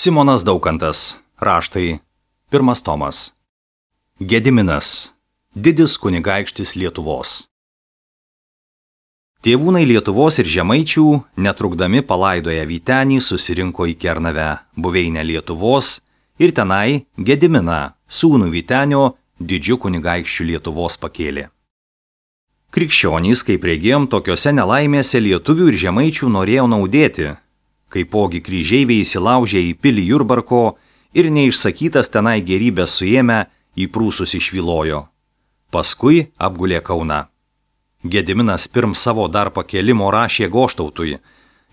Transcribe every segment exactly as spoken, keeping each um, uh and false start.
Simonas Daukantas. Raštai. Pirmas tomas. Gediminas. Didis kunigaikštis Lietuvos. Tėvūnai Lietuvos ir žemaičių, netrukdami palaidoję Vytenį, susirinko į Kernavę, buveinę Lietuvos, ir tenai Gediminą, sūnų Vytenio, didžiu kunigaikščiu Lietuvos pakėlė. Krikščionys, kaip regėjom, tokiose nelaimėse lietuvių ir žemaičių norėjo naudėti, kaipogi kryžeiviai įsilaužė į pilį Jurbarko ir neišsakytas tenai gerybės suėmę į prūsus išvilojo. Paskui apgulė Kauną. Gediminas pirm savo dar pakėlimo rašė Goštautui,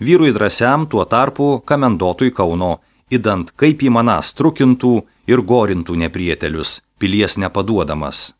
vyrui drąsiam tuo tarpu kamendotui Kauno, idant kaip į manas trukintų ir gorintų neprietelius, pilies nepaduodamas.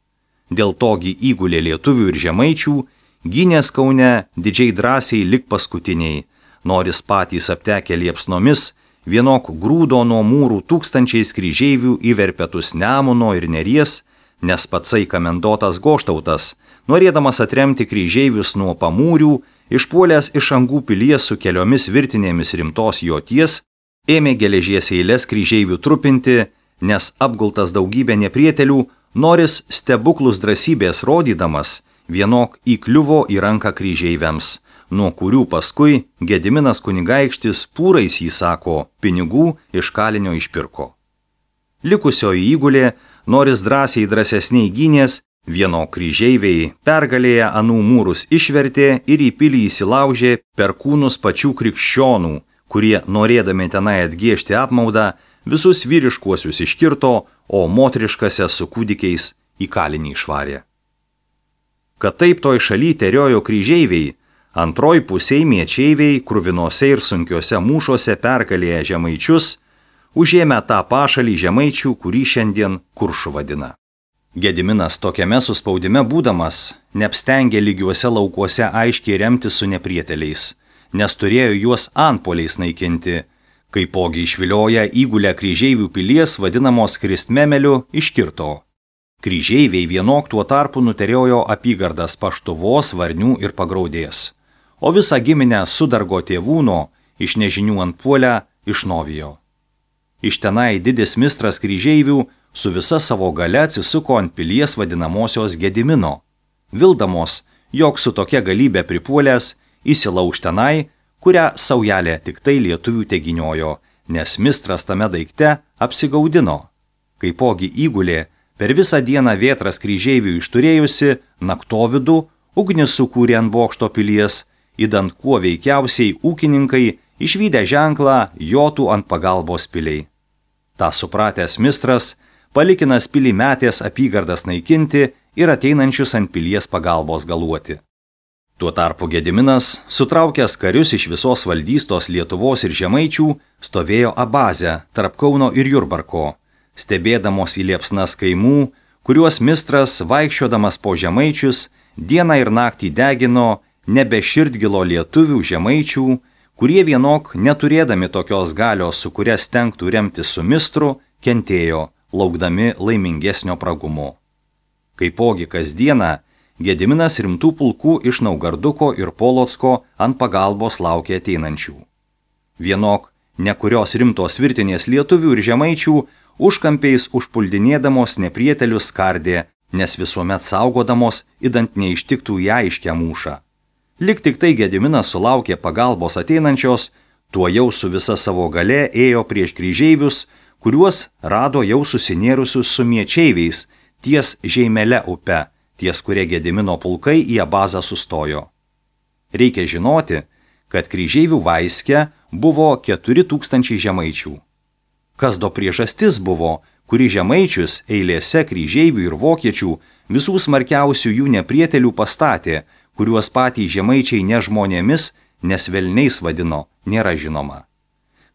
Dėl togi įgulė lietuvių ir žemaičių, gynės Kaune didžiai drąsiai lik paskutiniai, noris patys aptekę liepsnomis, vienok grūdo nuo mūrų tūkstančiais kryžeivių į verpetus Nemuno ir Neries, nes patsai kamendotas Goštautas, norėdamas atremti kryžeivius nuo pamūrių, išpuolęs iš Angų pilies su keliomis virtinėmis rimtos joties, ėmė geležies eilės kryžeivių trupinti, nes apgultas daugybė neprietelių, noris stebuklus drąsybės rodydamas, vienok įkliuvo į ranką kryžeiviams, nuo kurių paskui Gediminas kunigaikštis pūrais, jį sako, pinigų iš kalinio išpirko. Likusioji įgulė, noris drąsiai drąsesniai gynės, vieno kryžeiviai pergalėje anų mūrus išvertė ir į pilį įsilaužė per kūnus pačių krikščionų, kurie, norėdami tenai atgėžti apmaudą, visus vyriškuosius iškirto, o moteriškasias su kūdikiais į kalinį išvarė. Kad taip toj šaly teriojo kryžeiviai, antroj pusėj miečeiviai kruvinose ir sunkiose mūšuose pergalėję žemaičius, užėmė tą pašalį žemaičių, kurį šiandien Kuršu vadina. Gediminas tokiame suspaudime būdamas, neapstengė lygiuose laukuose aiškiai remti su neprieteliais, nes turėjo juos antpoliais naikinti, kaipogi išvilioja įgulę kryžeivių pilies vadinamos Kristmemeliu iškirto. Kryžeiviai vienok tuo tarpu nuteriojo apygardas Paštuvos, Varnių ir Pagraudės, o visą giminę Sudargo tėvūno iš nežinių antpuolę išnovijo. Iš tenai didis mistras kryžeivių su visa savo gale atsisuko ant pilies vadinamosios Gedimino, vildamos, jog su tokia galybė pripuolęs įsilauž tenai, kurią saujelė tik tai lietuvių teginiojo, nes mistras tame daikte apsigaudino. Kaipogi įgulė, per visą dieną vėtras kryžeivių išturėjusi, naktovidų ugnis sukūrė ant bokšto pilies, idant kuo veikiausiai ūkininkai išvydę ženklą jotų ant pagalbos piliai. Ta supratęs mistras, palikinas pilį metės apygardas naikinti ir ateinančius ant pilies pagalbos galuoti. Tuo tarpu Gediminas, sutraukęs karius iš visos valdystos Lietuvos ir žemaičių, stovėjo Abaze tarp Kauno ir Jurbarko, stebėdamos į liepsnas kaimų, kuriuos mistras, vaikščiodamas po žemaičius, dieną ir naktį degino nebe širdgilo lietuvių žemaičių, kurie vienok, neturėdami tokios galios, su kuria stengtų remti su mistru, kentėjo, laukdami laimingesnio pragumo. Kaipogi kasdieną, Gediminas rimtų pulkų iš Naugarduko ir Polocko ant pagalbos laukė ateinančių. Vienok, nekurios rimtos virtinės lietuvių ir žemaičių, užkampiais užpuldinėdamos neprietelius skardė, nes visuomet saugodamos, idant neištiktų ją aiškę mūšą. Lik tik tai Gediminas sulaukė pagalbos ateinančios, tuo jau su visa savo gale ėjo prieš kryžeivius, kuriuos rado jau susinėrusius su miečeiviais ties Žeimele upe, ties kurie Gedimino pulkai į Abazą sustojo. Reikia žinoti, kad kryžeivių vaiske buvo keturi tūkstančiai žemaičių. Kas do priežastis buvo, kuri žemaičius eilėse kryžeivių ir vokiečių visų smarkiausių jų neprietelių pastatė, kuriuos patys žemaičiai ne žmonėmis, nes velniais vadino, nėra žinoma.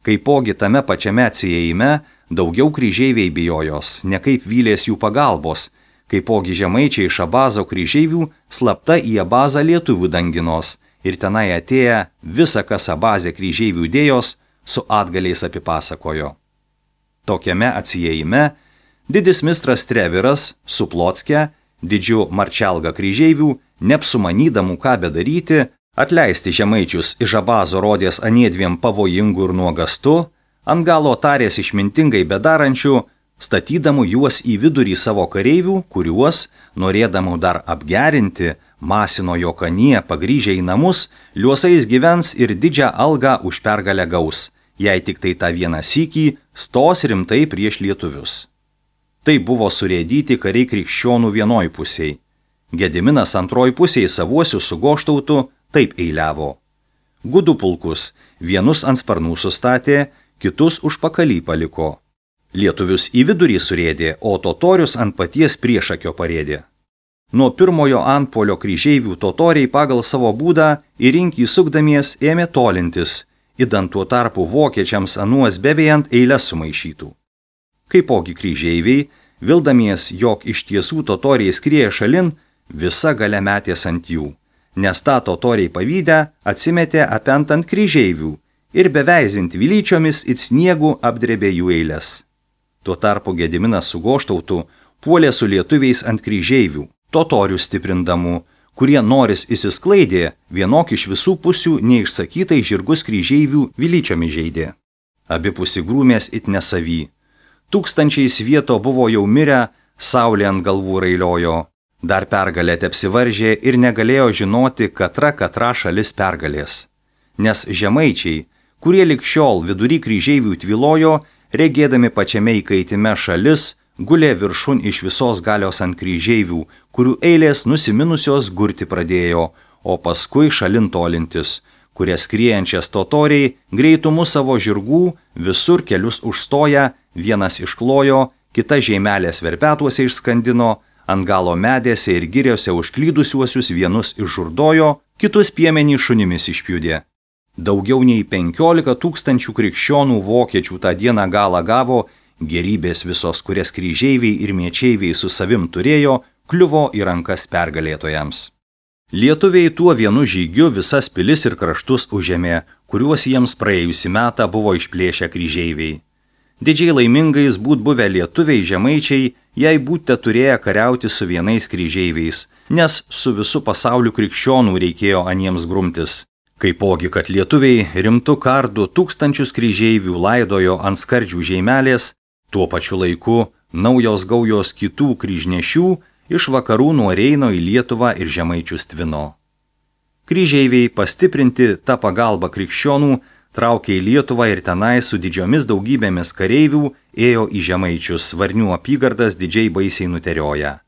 Kaipogi tame pačiame atsiejime daugiau kryžeiviai bijojos, ne kaip vylės jų pagalbos, kaipogi žemaičiai iš Abazo kryžeivių slapta į Abazą lietuvių danginos ir tenai atėję visa, kas Abaze kryžeivių dėjos, su atgaliais apipasakojo. Tokiame atsiejime didis mistras Treviras su Plocke, didžiu Marčelga kryžeivių, neapsumanydamų ką bedaryti, atleisti žemaičius iš Abazo rodės aniedviem pavojingų ir nuogastu, ant galo tarės išmintingai bedarančių, statydamų juos į vidurį savo kareivių, kuriuos, norėdamų dar apgerinti, masino Jokanie pagrįžę į namus, liuosais gyvens ir didžią algą už pergalę gaus, jei tik tai tą vieną sykį stos rimtai prieš lietuvius. Tai buvo surėdyti kariai krikščionų vienoj pusiai. Gediminas antroj pusiai savuosius su Goštautu taip eiliavo. Gudų pulkus vienus ant sparnų sustatė, kitus užpakalį paliko. Lietuvius į vidurį surėdė, o totorius ant paties priešakio parėdė. Nuo pirmojo antpuolio kryžeivių totoriai pagal savo būdą į rinkį sukdamies ėmė tolintis, idant tuo tarpu vokiečiams anuos bevėjant eilės sumaišytų. Kaipogi kryžeiviai, vildamies, jog iš tiesų totoriai skrieja šalin, visa galia metės ant jų, nes tą totoriai pavydę atsimetė apent ant kryžeivių ir beveizint vilyčiomis it sniegų apdrebė jų eilės. Tuo tarpu Gediminas su Goštautu puolė su lietuviais ant kryžeivių, totorių stiprindamų, kurie noris įsisklaidė, vienok iš visų pusių neišsakytai žirgus kryžeivių vilyčiomis žeidė. Abipusi grūmės it nesavy. Tūkstančiai svieto buvo jau mirę, saulė ant galvų railiojo. Dar pergalė tepsivaržė ir negalėjo žinoti, katra katra šalis pergalės. Nes žemaičiai, kurie lig šiol vidury kryžeivių tvilojo, regėdami pačiame įkaitime šalis, gulė viršun iš visos galios ant kryžeivių, kurių eilės nusiminusios gurti pradėjo, o paskui šalin tolintis, kurias skriejančias totoriai greitumu savo žirgų visur kelius užstoja, vienas išklojo, kita žeimelės verpetuose išskandino, ant galo medėse ir giriose užklydusiuosius vienus išžurdojo, kitus piemenį šunimis išpjudė. Daugiau nei penkiolika tūkstančių krikščionų vokiečių tą dieną galą gavo, gerybės visos, kurias kryžeiviai ir miečeiviai su savim turėjo, kliuvo į rankas pergalėtojams. Lietuviai tuo vienu žygiu visas pilis ir kraštus užėmė, kuriuos jiems praėjusį metą buvo išplėšę kryžeiviai. Didžiai laimingais būt buvę lietuviai žemaičiai, jei būte turėję kariauti su vienais kryžeiviais, nes su visu pasauliu krikščionų reikėjo aniems grumtis. Kaipogi, kad lietuviai rimtu kardu tūkstančius kryžeivių laidojo ant skardžių žeimelės, tuo pačiu laiku naujos gaujos kitų kryžnešių iš vakarų nuo Reino į Lietuvą ir žemaičius tvino. Kryžeiviai pastiprinti tą pagalbą krikščionų traukė į Lietuvą ir tenai su didžiomis daugybėmis kareivių ėjo į žemaičius, Varnių apygardas didžiai baisiai nuterioja.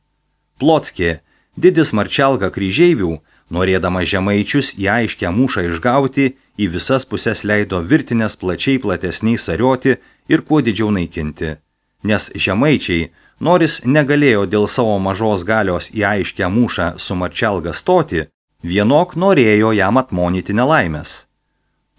Plockė, didis marčelga kryžeivių, norėdama žemaičius į aiškę mūšą išgauti, į visas pusės leido virtinės plačiai platesniai sarioti ir kuo didžiau naikinti. Nes žemaičiai, noris negalėjo dėl savo mažos galios į aiškę mūšą su marčelga stoti, vienok norėjo jam atmonyti nelaimės.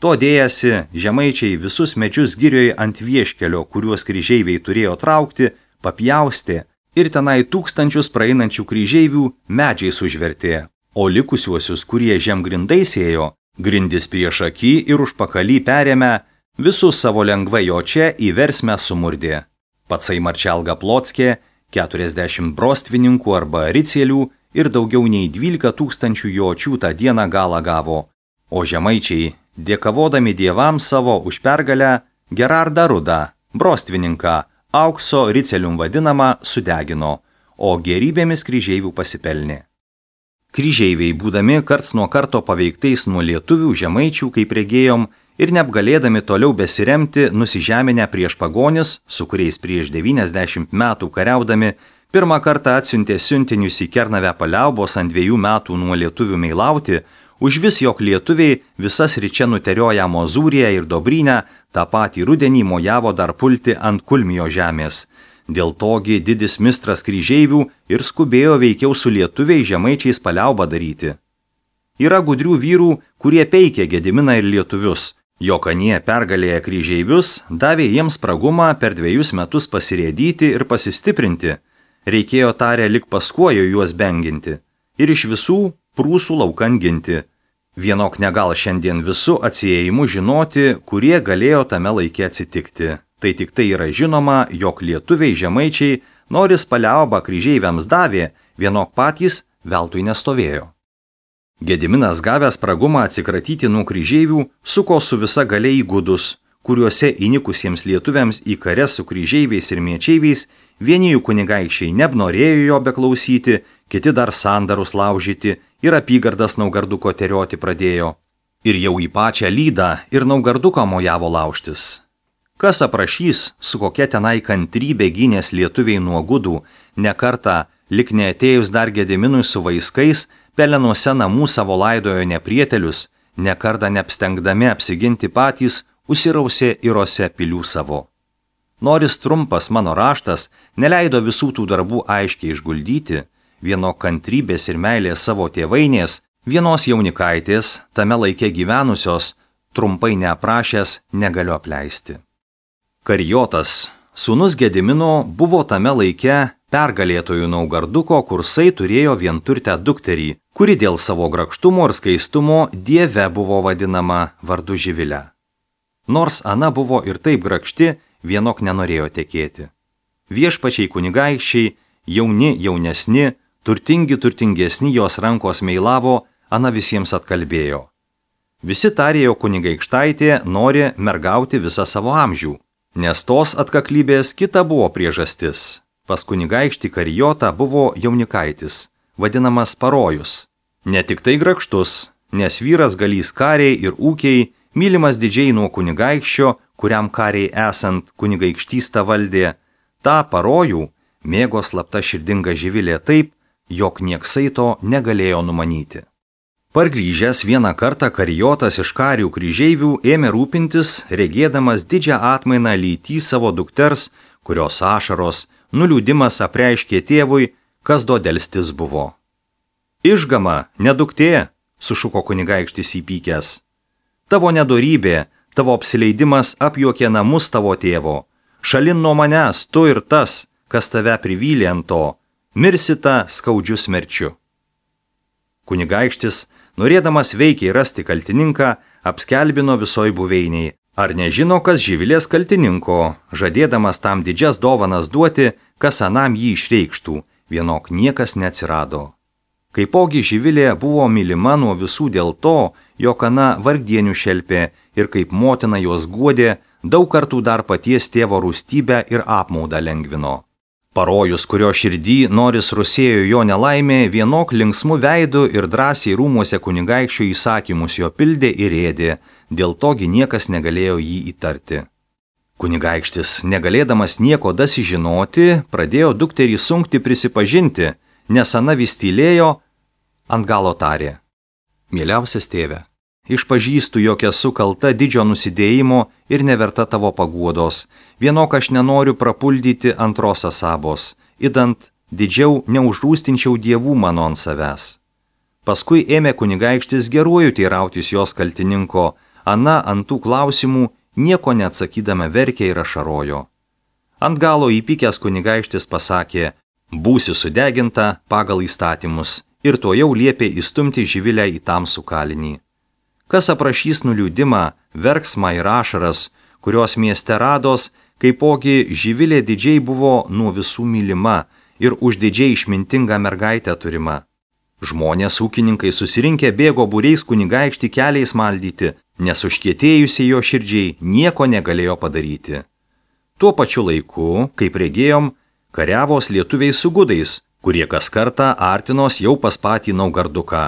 To dėjasi, žemaičiai visus medžius girioje ant vieškelio, kuriuos kryžeiviai turėjo traukti, papjaustė ir tenai tūkstančius praeinančių kryžeivių medžiais užvertė, o likusiuosius, kurie žemgrindais ėjo, grindis prieš akį ir užpakalį perėmė, visus savo lengvai jo čia į versmę sumurdė. Patsai marčelga Plockė, keturiasdešimt brostvininkų arba ricielių ir daugiau nei dvylika tūkstančių jočių tą dieną galą gavo, o žemaičiai, dėkavodami dievams savo už pergalę, Gerardą Rudą, brostvininką, aukso ricelium vadinamą, sudegino, o gerybėmis kryžeivių pasipelnė. Kryžeiviai, būdami karts nuo karto paveiktais nuo lietuvių žemaičių, kaip regėjom, ir neapgalėdami toliau besiremti, nusižeminę prieš pagonis, su kuriais prieš devyniasdešimt metų kariaudami, pirmą kartą atsiuntė siuntinius į Kernavę paliaubos ant dviejų metų nuo lietuvių meilauti, už vis jog lietuviai visas ryčia nuterioja Mozūriją ir Dobrynę, tą patį rudenį mojavo dar pulti ant Kulmijo žemės. Dėl togi didis mistras kryžeivių ir skubėjo veikiau su lietuviai žemaičiais paliaubą daryti. Yra gudrių vyrų, kurie peikė Gediminą ir lietuvius. Jokanie pergalėję kryžeivius davė jiems spragumą per dviejus metus pasirėdyti ir pasistiprinti. Reikėjo tarę lik paskuojo juos benginti ir iš visų prūsų laukan ginti. Vienok negal šiandien visų atsiejimų žinoti, kurie galėjo tame laike atsitikti. Tai tik tai yra žinoma, jog lietuviai žemaičiai, noris paliaubą kryžeiviams davė, vienok patys veltui nestovėjo. Gediminas gavęs spragumą atsikratyti nuo kryžeivių, suko su visa galia į gudus, kuriuose įnikusiems lietuviams į kares su kryžeiviais ir miečeiviais vieni jų kunigaikščiai nenorėjo jo beklausyti, kiti dar sandarus laužyti ir apygardas Naugarduko terioti pradėjo. Ir jau į pačią Lydą ir Naugarduką mojavo laužtis. Kas aprašys, su kokia tenai kantrybė gynės lietuviai nuo gudų, nekartą, lik neatėjus dar Gediminui su vaiskais, pelenuose namų savo laidojo neprietelius, nekartą neapstengdami apsiginti patys, užsirausė irose pilių savo. Noris trumpas mano raštas neleido visų tų darbų aiškiai išguldyti, vieno kantrybės ir meilės savo tėvainės, vienos jaunikaitės, tame laike gyvenusios, trumpai neaprašęs negaliu apleisti. Karijotas, sūnus Gedimino, buvo tame laike pergalėtojų Naugarduko, kursai turėjo vienturtę dukterį, kuri dėl savo grakštumo ir skaistumo dieve buvo vadinama vardu Živilė. Nors Ana buvo ir taip grakšti, vienok nenorėjo tekėti. Viešpačiai kunigaikščiai, jauni jaunesni, turtingi turtingesni jos rankos meilavo, Ana visiems atkalbėjo. Visi tarėjo kunigaikštaitė nori mergauti visą savo amžių, nes tos atkaklybės kita buvo priežastis. Pas kunigaikštį Karijotą buvo jaunikaitis, vadinamas Parojus. Ne tik tai grakštus, nes vyras galys kariai ir ūkiai, mylimas didžiai nuo kunigaikščio, kuriam kariai esant kunigaikštystą valdė, tą Parojų mėgo slapta širdinga Živilė taip, jog nieksai to negalėjo numanyti. Pargrįžęs vieną kartą Karijotas iš karių kryžeivių ėmė rūpintis, regėdamas didžią atmainą lytį savo dukters, kurios ašaros, nuliūdimas apreiškė tėvui, kas do delstis buvo. Išgama, neduktė, sušuko kunigaikštis įpykęs. Tavo nedorybė, tavo apsileidimas apjuokė namus tavo tėvo. Šalin nuo manęs, tu ir tas, kas tave privylė ant to, mirsita skaudžiu smerčiu. Kunigaikštis, norėdamas veikiai rasti kaltininką, apskelbino visoj buveiniai. Ar nežino, kas Živilės kaltininko, žadėdamas tam didžias dovanas duoti, kas anam jį išreikštų, vienok niekas neatsirado. Kaipogi Živilė buvo mylima nuo visų dėl to, jog Ana vargdienių šelpė ir kaip motina jos guodė, daug kartų dar paties tėvo rūstybę ir apmaudą lengvino. Parojus, kurio širdį noris rusėjo jo nelaimė, vienok linksmų veidų ir drąsiai rūmuose kunigaikščio įsakymus jo pildė ir ėdė, dėl togi niekas negalėjo jį įtarti. Kunigaikštis, negalėdamas nieko dasižinoti, pradėjo dukterį sunkti prisipažinti, nes Ana vis tylėjo, ant galo tarė. Mieliausias tėve, išpažįstu, jog esu kalta didžio nusidėjimo ir neverta tavo paguodos, vienok aš nenoriu prapuldyti antros asabos, idant didžiau neužrūstinčiau dievų mano ant savęs. Paskui ėmė kunigaikštis geruoju teirautis jos kaltininko, Ana ant tų klausimų nieko neatsakydama verkė ir ašarojo. Ant galo įpykęs kunigaikštis pasakė, būsi sudeginta pagal įstatymus, ir to jau liepė įstumti Živilę į tamsų kalinį. Kas aprašys nuliūdimą, verksmą ir ašaras, kurios mieste rados, kaipogi Živilė didžiai buvo nuo visų mylima ir uždidžiai išmintinga mergaitė turima. Žmonės ūkininkai susirinkę bėgo būriais kunigaikštį keliais maldyti, nes užkietėjusiai jo širdžiai nieko negalėjo padaryti. Tuo pačiu laiku, kaip regėjom, kariavos lietuviai su gudais, kurie kas kartą artinos jau pas patį Naugarduką.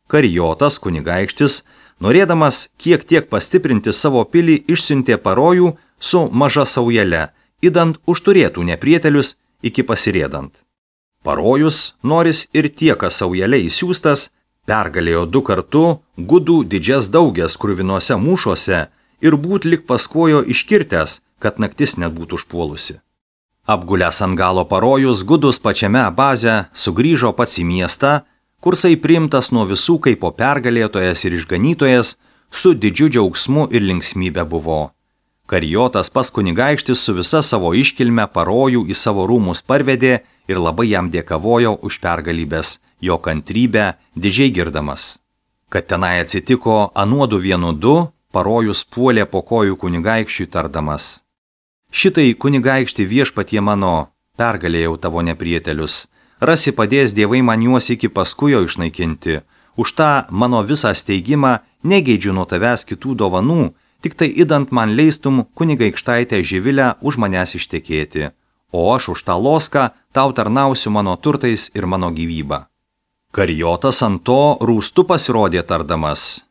Karijotas kunigaikštis, norėdamas kiek tiek pastiprinti savo pilį, išsiuntė Parojų su maža saujele, idant užturėtų neprietelius iki pasirėdant. Parojus, noris ir tiek saujelė įsiūstas, pergalėjo du kartu gudų didžias daugias kruvinuose mūšuose ir būt lik paskojo iškirtęs, kad naktis net būtų užpuolusi. Apgulęs ant galo Parojus gudus pačiame baze sugrįžo pats į miestą, kursai priimtas nuo visų kaip po pergalėtojas ir išganytojas, su didžiu džiaugsmu ir linksmybė buvo. Karijotas pas kunigaikštis su visa savo iškilme Parojų į savo rūmus parvedė ir labai jam dėkavojo už pergalybės, jo kantrybę didžiai girdamas. Kad tenai atsitiko anuodu vienu du, Parojus puolė po kojų kunigaikščiui tardamas. Šitai kunigaikšti viešpatie mano, pergalėjau tavo neprietelius, rasi padės dievai man juos iki paskujo išnaikinti, už tą mano visą steigimą negeidžiu nuo tavęs kitų dovanų, tik tai idant man leistum kunigaikštaitę Živilę už manęs ištekėti, o aš už tą loską tau tarnausiu mano turtais ir mano gyvybą. Karijotas ant to rūstu pasirodė tardamas.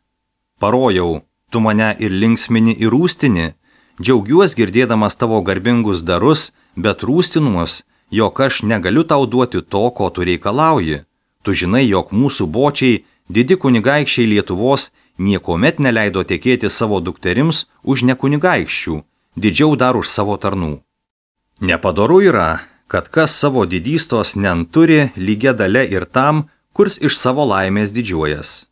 Parojau, tu mane ir linksmini ir rūstini, džiaugiuos girdėdamas tavo garbingus darus, bet rūstinuos, jog aš negaliu tau duoti to, ko tu reikalauji. Tu žinai, jog mūsų bočiai, didi kunigaikščiai Lietuvos, niekuomet neleido tekėti savo dukterims už nekunigaikščių, didžiau dar už savo tarnų. Nepadoru yra, kad kas savo didystos nenturi lygia dalia ir tam, kurs iš savo laimės didžiuojas.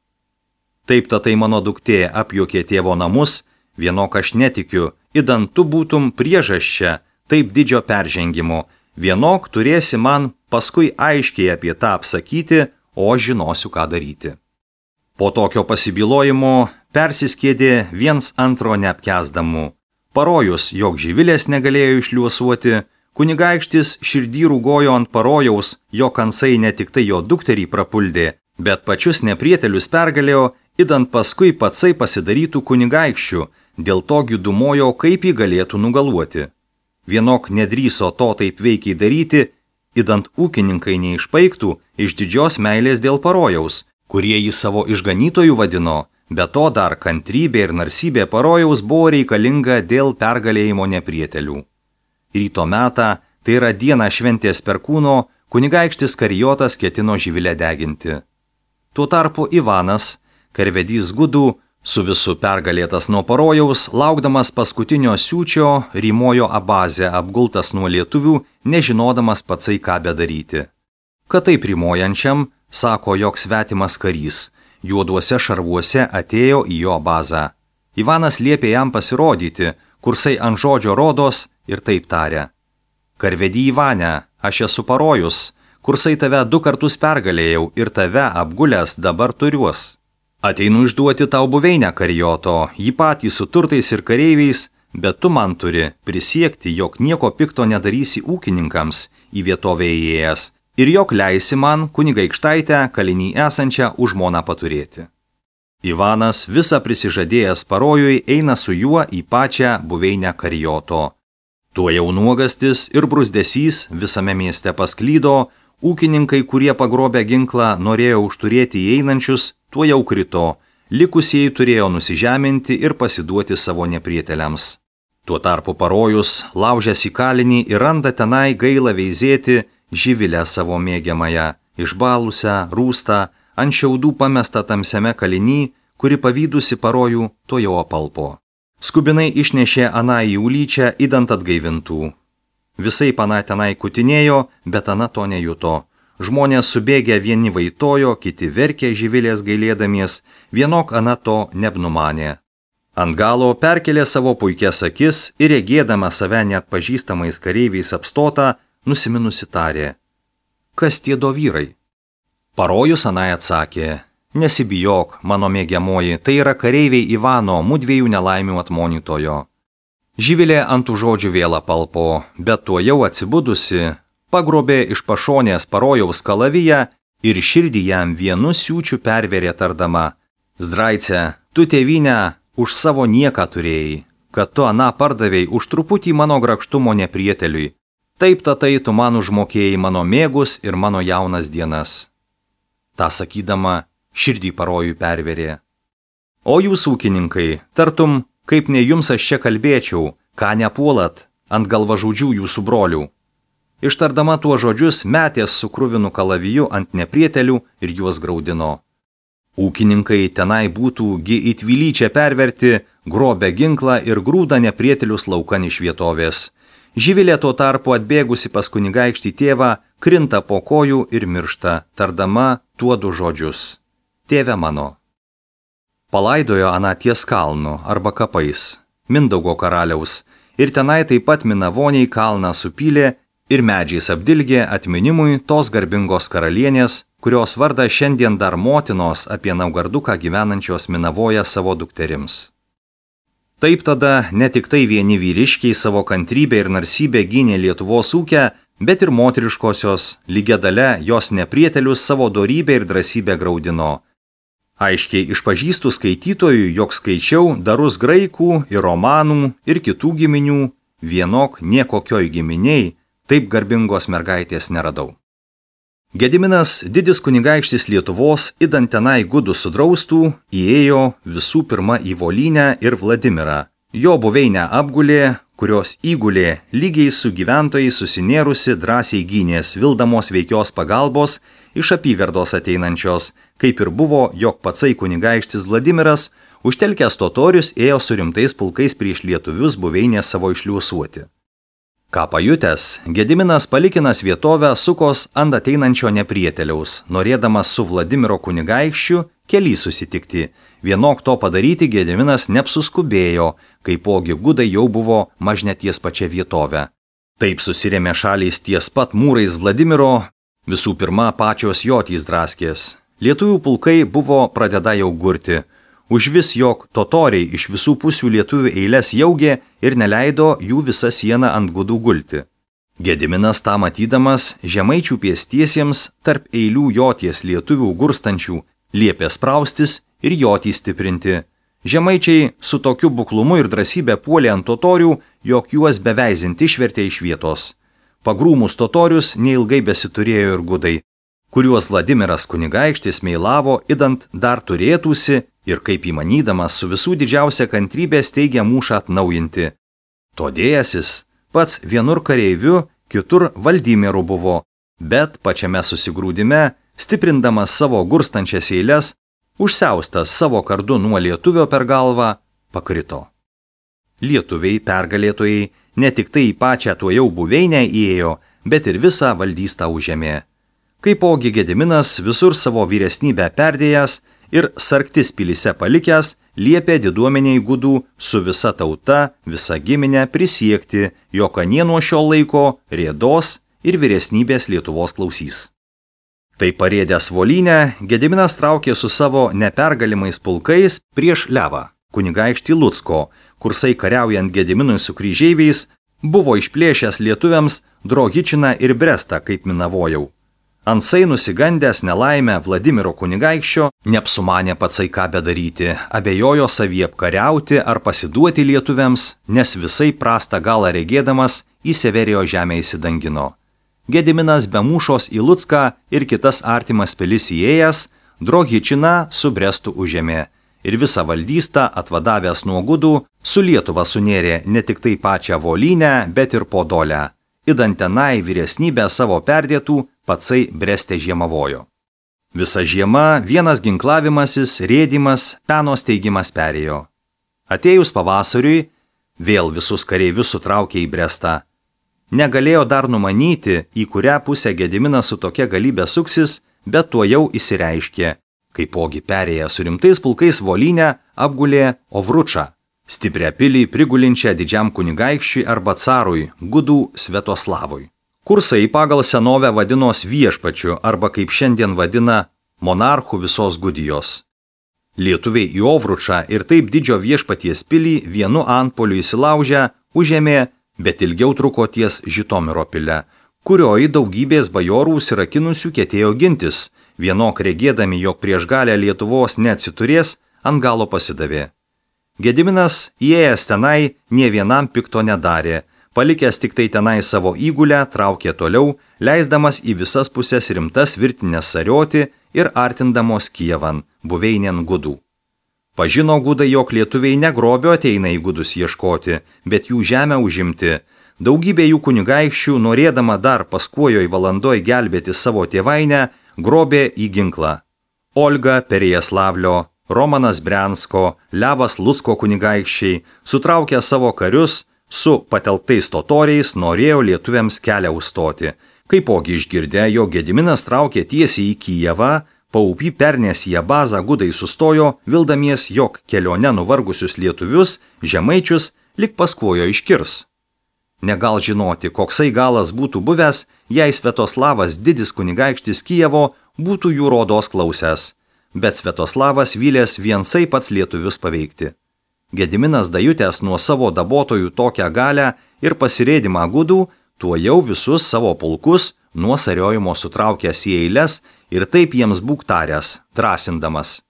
Taip tatai mano duktė apjuokė tėvo namus, vienok aš netikiu, idant tu būtum priežasčia taip didžio peržengimo, vienok turėsi man paskui aiškiai apie tą apsakyti, o žinosiu, ką daryti. Po tokio pasibilojimo persiskėdė viens antro neapkęsdamų. Parojus, jog Živilės negalėjo išliuosuoti, kunigaikštis širdį rūgojo ant parojaus, jo kansai ne tik tai jo dukterį prapuldė, bet pačius neprietelius pergalėjo, idant paskui patsai pasidarytų kunigaikščių, dėl to gidumojo, kaip jį galėtų nugaluoti. Vienok nedrįso to taip veikiai daryti, idant ūkininkai neišpaiktų iš didžios meilės dėl parojaus, kurie jį savo išganytojų vadino, be to dar kantrybė ir narsybė parojaus buvo reikalinga dėl pergalėjimo neprietelių. Ryto metą, tai yra dieną šventės perkūno, kunigaikštis Karijotas ketino Živilę deginti. Tuo tarpu Ivanas, karvedys gudų, su visu pergalėtas nuo parojaus, laukdamas paskutinio siūčio, rymojo Abazę apgultas nuo lietuvių, nežinodamas patsai ką bedaryti. Kad taip rymojančiam, sako, jog svetimas karys, juoduose šarvuose atėjo į jo Abazą. Ivanas liepė jam pasirodyti, kursai ant žodžio rodos ir taip tarė. Karvedį Ivane, aš esu parojus, kursai tave du kartus pergalėjau ir tave apgulęs dabar turiuos. Ateinu išduoti tau buveinę Karijoto, jį patį su turtais ir kareiviais, bet tu man turi prisiekti, jog nieko pikto nedarysi ūkininkams į vietovę įėjęs ir jog leisi man kunigaikštaitę kalinį esančią už žmoną paturėti. Ivanas, visa prisižadėjęs parojui, eina su juo į pačią buveinę Karijoto. Tuo jau nuogastis ir brūzdesys visame mieste pasklydo, ūkininkai, kurie pagrobę ginklą norėjo užturėti įeinančius, tuo jau krito, likusieji turėjo nusižeminti ir pasiduoti savo neprieteliams. Tuo tarpu parojus, laužęs į kalinį ir randa tenai gailą veizėti Živilę savo mėgiamąją, išbalusią, rūstą, ant šiaudų pamestą tamsiame kalinį, kuri pavydusi parojų, to jau apalpo. Skubinai išnešė aną į ulyčią, idant atgaivintų. Visai pana tenai kutinėjo, bet ana to nejuto. Žmonės subėgę vieni vaitojo, kiti verkė Živilės gailėdamies, vienok ana to nebnumanė. Ant galo perkelė savo puikias akis ir regėdama save net pažįstamais kareiviais apstotą, nusiminusi tarė. Kas tie do vyrai? Parojus anai atsakė. Nesibijok, mano mėgiamoji, tai yra kareiviai Ivano, mudviejų nelaimių atmonytojo. Živilė ant tų žodžių vėl apalpo, bet tuo jau atsibudusi, pagrobė iš pašonės parojaus kalaviją ir širdį jam vienu siūčiu perverė tardama. Zdraice, tu tėvynę už savo nieką turėjai, kad tu aną pardavėjai už truputį mano grakštumo neprieteliui. Taip tatai tu man užmokėjai mano mėgus ir mano jaunas dienas. Ta sakydama, širdį parojui perverė. O jūs ūkininkai, tartum, kaip ne jums aš čia kalbėčiau, ką nepuolat ant galvažudžių jūsų brolių. Ištardama tuo žodžius, metės su kruvinu kalaviju ant neprietelių ir juos graudino. Ūkininkai tenai būtų gi įtvilyčią perverti, grobę ginklą ir grūdą neprietelius laukan iš vietovės. Živilė tuo tarpu atbėgusi pas kunigaikštį tėvą, krinta po kojų ir miršta, tardama tuo du žodžius. Tėve mano. Palaidojo aną ties kalnu arba kapais, Mindaugo karaliaus, ir tenai taip pat Minavoniai kalną supylė ir medžiais apdilgė atminimui tos garbingos karalienės, kurios vardą šiandien dar motinos apie Naugarduką gyvenančios Minavoje savo dukterims. Taip tada ne tik tai vieni vyriškiai savo kantrybę ir narsybę gynė Lietuvos ūkę, bet ir moteriškosios, lygia dalia jos neprietelius savo dorybę ir drąsybę graudino. Aiškiai išpažįstu skaitytojui, jog skaičiau darus graikų ir romanų ir kitų giminių, vienok niekokioj giminiai taip garbingos mergaitės neradau. Gediminas, didis kunigaikštis Lietuvos, idant tenai gudų sudraustų, įėjo visų pirma į Volynę ir Vladimirą. Jo buveinę apgulė, kurios įgulė lygiai su gyventojai susinėrusi drąsiai gynės vildamos veikios pagalbos iš apygardos ateinančios, kaip ir buvo, jog patsai kunigaikštis Vladimiras, užtelkęs totorius, ėjo su rimtais pulkais prieš lietuvius buveinę savo išliuosuoti. Ką pajutęs, Gediminas palikinas vietovę sukos ant ateinančio neprieteliaus, norėdamas su Vladimiro kunigaikščiu kely susitikti. Vienok to padaryti Gediminas neapsuskubėjo, kaipogi gudai jau buvo mažne ties pačia vietove. Taip susirėmė šalys ties pat mūrais Vladimiro, visų pirma pačios jotys draskės. Lietuvių pulkai buvo pradeda jau gurti. Užvis jog totoriai iš visų pusių lietuvių eilės jaugė ir neleido jų visą sieną ant gudų gulti. Gediminas tą matydamas žemaičių pėstiesiems tarp eilių joties lietuvių gurstančių liepė spraustis ir jotį stiprinti. Žemaičiai su tokiu buklumu ir drąsybė puolė ant totorių, jog juos beveizinti išvertė iš vietos. Pagrūmus totorius neilgai besiturėjo ir gudai, kuriuos Vladimiras kunigaikštis meilavo, idant dar turėtųsi ir kaip įmanydamas su visų didžiausia kantrybė steigia mūšą atnaujinti. Todėjasis pats vienur kareiviu, kitur Valdimiru buvo, bet pačiame susigrūdime, stiprindamas savo gurstančias eiles, užsiaustas savo kardu nuo lietuvio per galvą, pakrito. Lietuviai pergalėtojai ne tik tai į pačią tuojau buveinę įėjo, bet ir visą valdystą užėmė. Kaipogi Gediminas visur savo vyresnybę perdėjęs ir sarktis pilyse palikęs, liepė diduomeniai gudų su visa tauta, visa giminė prisiekti, jog anie nuo šio laiko rėdos ir vyresnybės Lietuvos klausys. Tai parėdęs Volynę, Gediminas traukė su savo nepergalimais pulkais prieš Levą, kunigaikštį Lucko, kursai kariaujant Gediminui su kryžeiviais, buvo išplėšęs lietuviams Drohičiną ir Brestą, kaip minavojau. Ansai nusigandęs nelaimę Vladimiro kunigaikščio, neapsumanė patsai ką bedaryti, abejojo savį apkariauti ar pasiduoti lietuviams, nes visai prastą galą regėdamas į Severijo žemę įsidangino. Gediminas be mūšos į Lucką ir kitas artimas pilis įėjęs, Drohičiną su Brestu užėmė ir visą valdystą atvadavęs nuo gudų su Lietuva sunėrė ne tik tai pačią Volynę, bet ir Podolę. Idant tenai vyresnybę savo perdėtų, patsai Breste žiemavojo. Visa žiema vienas ginklavimasis, rėdimas, peno steigimas perėjo. Atėjus pavasariui, vėl visus kareivius sutraukė į Brestą. Negalėjo dar numanyti, į kurią pusę Gediminas su tokia galybė suksis, bet tuo jau įsireiškė. Kaipogi perėję su rimtais pulkais Volynę apgulė Ovručą, stiprią pilį prigulinčią didžiam kunigaikščiui arba carui, gudų Svetoslavui. Kursai pagal senovę vadinos viešpačiu arba kaip šiandien vadina monarchų visos Gudijos. Lietuviai į Ovručą ir taip didžio viešpaties pilį vienu antpoliu įsilaužę užėmė, bet ilgiau truko ties Žitomiro pile, kurioj daugybės bajorų užsirakinusių ketėjo gintis, vienok regėdami, jog prieš galę Lietuvos neatsiturės, ant galo pasidavė. Gediminas, įėjęs tenai, nė vienam pikto nedarė, palikęs tik tai tenai savo įgulę, traukė toliau, leisdamas į visas pusės rimtas virtinės sarioti ir artindamos Kijevan, buveinėn gudų. Pažino gudai, jog lietuviai negrobio ateina į gudus ieškoti, bet jų žemę užimti. Daugybė jų kunigaikščių, norėdama dar paskuojoj valandoj gelbėti savo tėvainę, grobė į ginklą. Olga Perejaslavlio, Romanas Briansko, Levas Lucko kunigaikščiai, sutraukę savo karius, su patelktais totoriais norėjo lietuviams kelią užstoti. Kaipogi išgirdę, jog Gediminas traukė tiesiai į Kijevą, paupį pernės į bazą gudai sustojo, vildamies, jog kelione nuvargusius lietuvius, žemaičius, lik paskuojo iškirs. Negal žinoti, koksai galas būtų buvęs, jei Svetoslavas didis kunigaikštis Kijevo būtų jų rodos klausęs, bet Svetoslavas vylės viensai pats lietuvius paveikti. Gediminas dajutęs nuo savo dabotojų tokią galę ir pasirėdimą gudų, tuo jau visus savo pulkus nuo sariojimo sutraukęs į eiles ir taip jiems būk taręs, drąsindamas.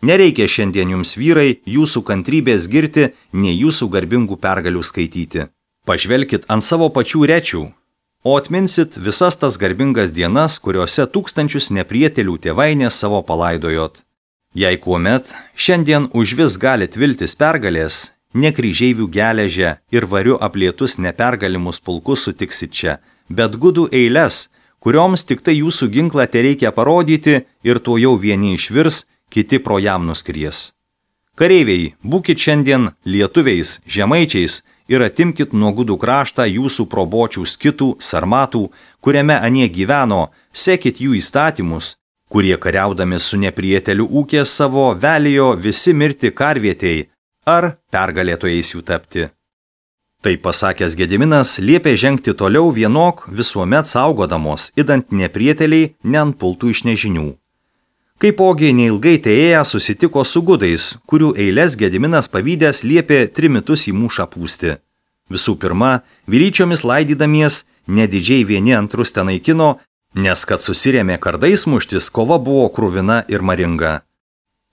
Nereikia šiandien jums vyrai jūsų kantrybės girti, nei jūsų garbingų pergalių skaityti. Pažvelkit ant savo pačių rečių, o atminsit visas tas garbingas dienas, kuriuose tūkstančius neprietelių tėvainės savo palaidojot. Jei kuomet šiandien užvis galit viltis pergalės, ne kryžeivių geležę ir variu aplietus nepergalimus pulkus sutiksit čia, bet gudų eiles, kurioms tik tai jūsų ginklą tereikia parodyti ir to jau vieni išvirs, kiti pro jam nuskries. Kareiviai, būkit šiandien lietuviais, žemaičiais ir atimkit nuo gudų kraštą jūsų probočių skitų, sarmatų, kuriame anie gyveno, sekit jų įstatymus, kurie kariaudami su neprieteliu ūkės savo velijo visi mirti karvietėjai ar pergalėtojais jų tapti. Tai pasakęs Gediminas liepė žengti toliau vienok visuomet saugodamos, idant neprieteliai neantpultų iš nežinių. Kaipogi neilgai teėję susitiko su gudais, kurių eiles Gediminas pavydęs liepė trimitus į mūšą pūsti. Visų pirma, vilyčiomis laidydamies, nedidžiai vieni antrus tenaikino, nes kad susirėmė kardais muštis, kova buvo kruvina ir maringa.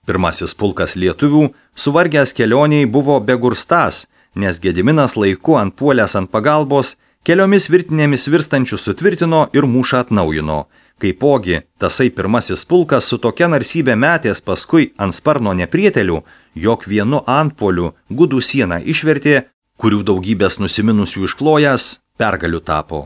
Pirmasis pulkas lietuvių, suvargęs kelioniai, buvo begurstąs, nes Gediminas laiku antpuolęs ant pagalbos, keliomis virtinėmis virstančių sutvirtino ir mūšą atnaujino. Kaipogi, tasai pirmasis pulkas su tokia narsybė metės paskui ant sparno neprietelių, jog vienu antpuoliu gudų sieną išvertė, kurių daugybės nusiminusių išklojęs pergalių tapo.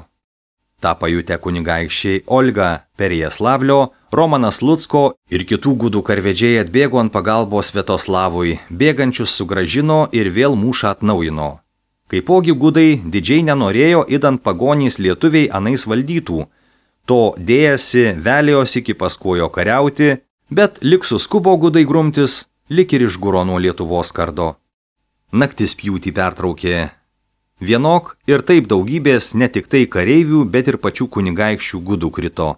Ta pajutę kunigaikščiai Olga Perejaslavlio, Romanas Lucko ir kitų gudų karvedžiai atbėgo ant pagalbos Sviatoslavui, bėgančius sugrąžino ir vėl mūšą atnaujino. Kaipogi gudai didžiai nenorėjo idant pagonys lietuviai anais valdytų, to dėjasi velios iki paskojo kariauti, bet lik suskubo gudai grumtis, lik ir išguro nuo Lietuvos kardo. Naktis pjūtį pertraukė. Vienok ir taip daugybės ne tik tai kareivių, bet ir pačių kunigaikščių gudų krito.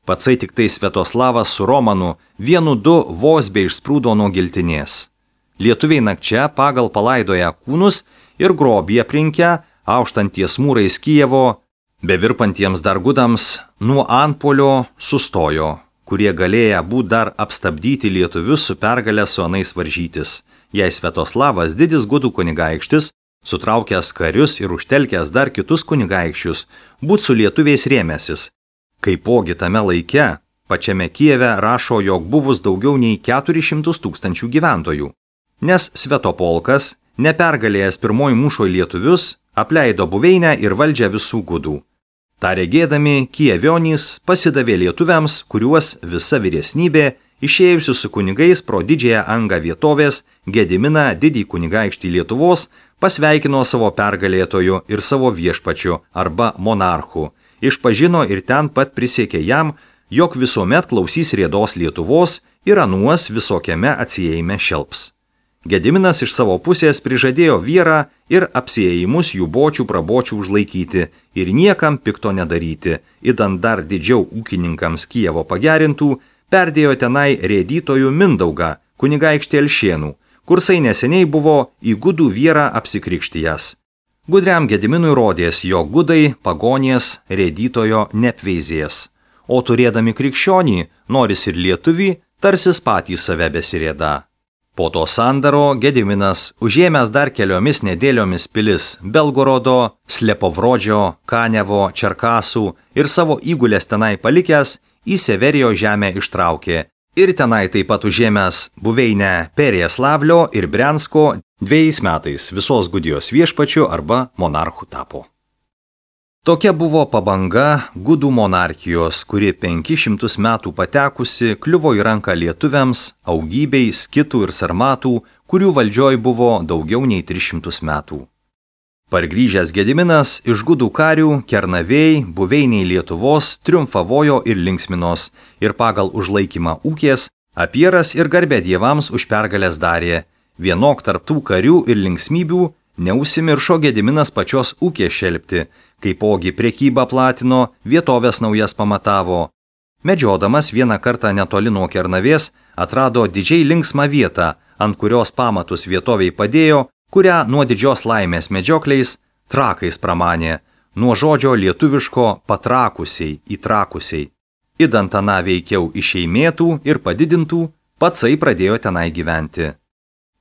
Patsai tik tai Sviatoslavas su Romanu vienu du vos be išsprūdo nuo giltinės. Lietuviai nakčia pagal palaidoja kūnus ir grobį aprinkę, auštanties mūrais Kijevo, bevirpantiems dar gudams nuo antpuolio sustojo, kurie galėję būt dar apstabdyti lietuvius su pergalę su anais varžytis. Jei Sviatoslavas didis gudų kunigaikštis, sutraukęs karius ir užtelkęs dar kitus kunigaikščius, būt su lietuviais rėmęsis. Kaipogi tame laike, pačiame Kijeve rašo, jog buvus daugiau nei keturis šimtus tūkstančių gyventojų. Nes Sviatopolkas, nepergalėjęs pirmoji mūšoj lietuvius, apleido buveinę ir valdžią visų gudų. Ta regėdami, kijevionys pasidavė lietuviams, kuriuos visa vyresnybė, išėjusių su kunigais pro didžiąją angą vietovės, Gediminą didį kunigaikštį Lietuvos, pasveikino savo pergalėtoju ir savo viešpačiu arba monarchu, išpažino ir ten pat prisiekė jam, jog visuomet klausys riedos Lietuvos ir anuos visokiame atsiejime šelps. Gediminas iš savo pusės prižadėjo vierą ir apsiėjimus jų bočių prabočių užlaikyti ir niekam pikto nedaryti, idant dar didžiau ūkininkams Kijevo pagerintų, perdėjo tenai rėdytojų Mindaugą, kunigaikštį Elšienų, kursai neseniai buvo į gudų vierą apsikrikštijęs. Gudriam Gediminui rodės, jog gudai pagonės rėdytojo neapveizės, o turėdami krikščionį, noris ir lietuvį, tarsis patys save besirėda. Po to sandaro Gediminas, užėmęs dar keliomis nedėliomis pilis Belgorodo, Slepovrodžio, Kanevo, Čerkasų ir savo įgulės tenai palikęs, į Severijo žemę ištraukė ir tenai taip pat užėmęs buveinę Perejaslavlio ir Briansko dviejais metais visos Gudijos viešpačiu arba monarchu tapo. Tokia buvo pabanga gudų monarchijos, kuri penkis šimtus metų patekusi kliuvo į ranką lietuviams, augybei, skitų ir sarmatų, kurių valdžioj buvo daugiau nei tris šimtus metų. Pargrįžęs Gediminas iš gudų karių, Kernavėj, buveiniai Lietuvos triumfavojo ir linksminos ir pagal užlaikymą ūkės, apieras ir garbę dievams už pergalės darė. Vienok tarptų karių ir linksmybių neužsimiršo Gediminas pačios ūkės šelpti, kaipogi prekybą platino, vietovės naujas pamatavo. Medžiodamas vieną kartą netoli nuo Kernavės atrado didžiai linksmą vietą, ant kurios pamatus vietoviai padėjo, kurią nuo didžios laimės medžiokliais trakais pramanė, nuo žodžio lietuviško patrakusiai, įtrakusiai. Idant aną veikiau išeimėtų ir padidintų, Patsai pradėjo tenai gyventi.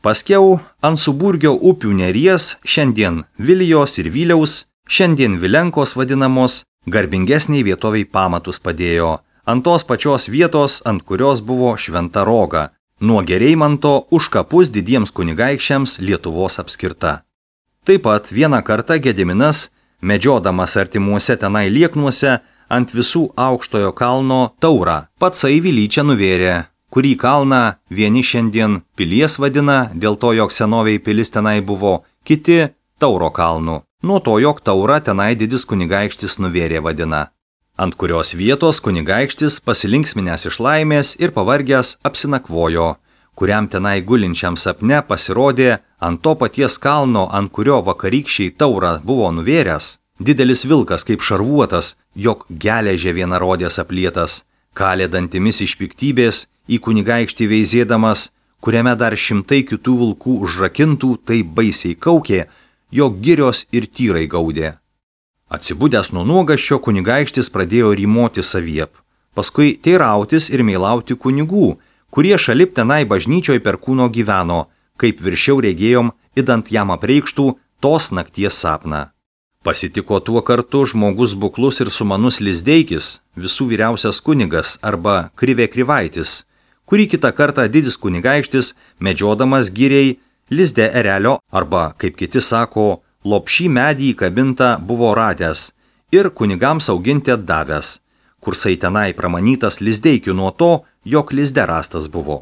Paskiau ant Suburgio upių Neries, šiandien Vilijos ir Viliaus, šiandien Vilenkos vadinamos, garbingesniai vietoviai pamatus padėjo, ant tos pačios vietos, ant kurios buvo Šventa Roga, nuo Gereimanto už kapus didiems kunigaikščiams Lietuvos apskirta. Taip pat vieną kartą Gediminas, medžiodamas artimuose tenai lieknuose, ant visų aukštojo kalno taurą Patsai Vilyčią nuvėrė, kurį kalną vieni šiandien Pilies vadina, dėl to, jog senoviai pilis tenai buvo, kiti Tauro kalnų, nuo to, jog taurą tenai didis kunigaikštis nuvėrė vadina, ant kurios vietos kunigaikštis pasilinksminęs iš laimės ir pavargęs apsinakvojo, kuriam tenai gulinčiam sapne pasirodė ant to paties kalno, ant kurio vakarykščiai taurą buvo nuvėręs, didelis vilkas kaip šarvuotas, jog geležė vienarodės aplietas, kalė dantimis iš piktybės, į kunigaikštį veizėdamas, kuriame dar šimtai kitų vilkų užrakintų, tai baisiai kaukė, jog girios ir tyrai gaudė. Atsibudęs nuo nuogaščio kunigaikštis pradėjo rymoti saviep, paskui teirautis ir meilauti kunigų, kurie šalip tenai bažnyčioj per kūno gyveno, kaip viršiau regėjom, idant jam apreikštų tos nakties sapną. Pasitiko tuo kartu žmogus buklus ir sumanus Lizdeikis, visų vyriausias kunigas arba Krivė Krivaitis, kurį kitą kartą didis kunigaikštis, medžiodamas giriai, lizde erelio arba, kaip kiti sako, lopšį medį įkabintą buvo radęs ir kunigams auginti atdavęs, kursai tenai pramanytas Lizdeikiu nuo to, jog lizde rastas buvo.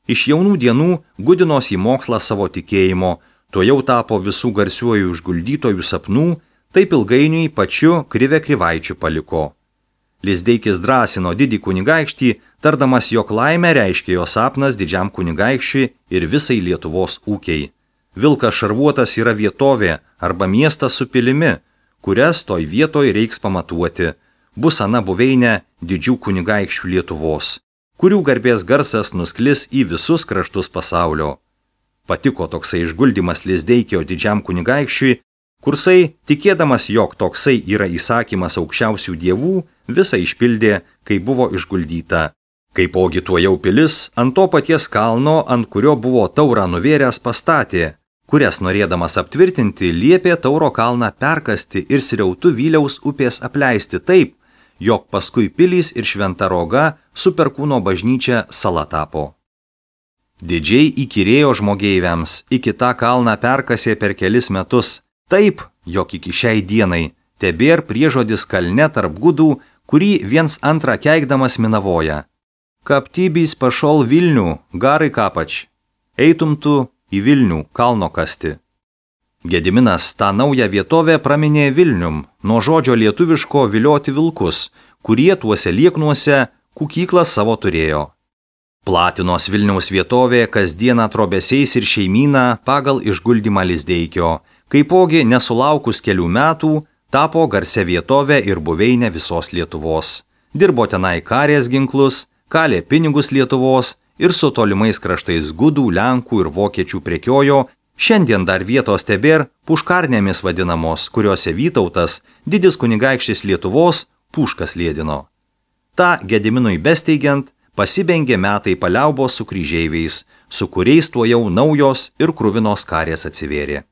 Iš jaunų dienų gudinos į mokslą savo tikėjimo, to jau tapo visų garsiuojų išguldytojų sapnų, taip ilgainiui pačiu Krivė Krivaičiu paliko. Lizdeikis drąsino didį kunigaikštį, tardamas, jog laimę reiškia jo sapnas didžiam kunigaikščiui ir visai Lietuvos ūkiai. Vilkas šarvuotas yra vietovė arba miestas su pilimi, kurias toj vietoj reiks pamatuoti. Bus ana buveinė didžių kunigaikščių Lietuvos, kurių garbės garsas nusklis į visus kraštus pasaulio. Patiko toksai išguldymas Lizdeikio didžiam kunigaikščiui, kursai, tikėdamas, jog toksai yra įsakymas aukščiausių dievų, visą išpildė, kai buvo išguldyta. Kaipogi tuo jau pilis ant to paties kalno, ant kurio buvo taurą nuvėręs, pastatė, kurias norėdamas aptvirtinti, liepė Tauro kalną perkasti ir sriautu Vyliaus upės apleisti taip, jog paskui pilys ir Šventa Roga su Perkūno bažnyčia sala tapo. Didžiai įkyrėjo žmogeiviams, iki tą kalną perkasė per kelis metus, taip, jog iki šiai dienai tebėr priežodis kalne tarp gudų, kurį viens antrą keikdamas minavoja. Kaptybys pašol Vilnių, garai kapač, eitum tu į Vilnių kalno kasti. Gediminas tą naują vietovę praminė Vilnium, nuo žodžio lietuviško vilioti vilkus, kurie tuose lieknuose kukyklą savo turėjo. Platinos Vilniaus vietovė kasdieną trobesiais ir šeimyną pagal išguldymą Lizdeikio, kaipogi nesulaukus kelių metų tapo garsia vietovė ir buveinė visos Lietuvos. Dirbo tenai karės ginklus, kalė pinigus Lietuvos ir su tolimais kraštais gudų, lenkų ir vokiečių prekiojo, šiandien dar vietos tebėr puškarnėmis vadinamos, kuriuose Vytautas, didis kunigaikštis Lietuvos, puškas lėdino. Ta Gediminui besteigiant, pasibengė metai paliaubos su kryžeiviais, su kuriais tuo jau naujos ir kruvinos karės atsivėrė.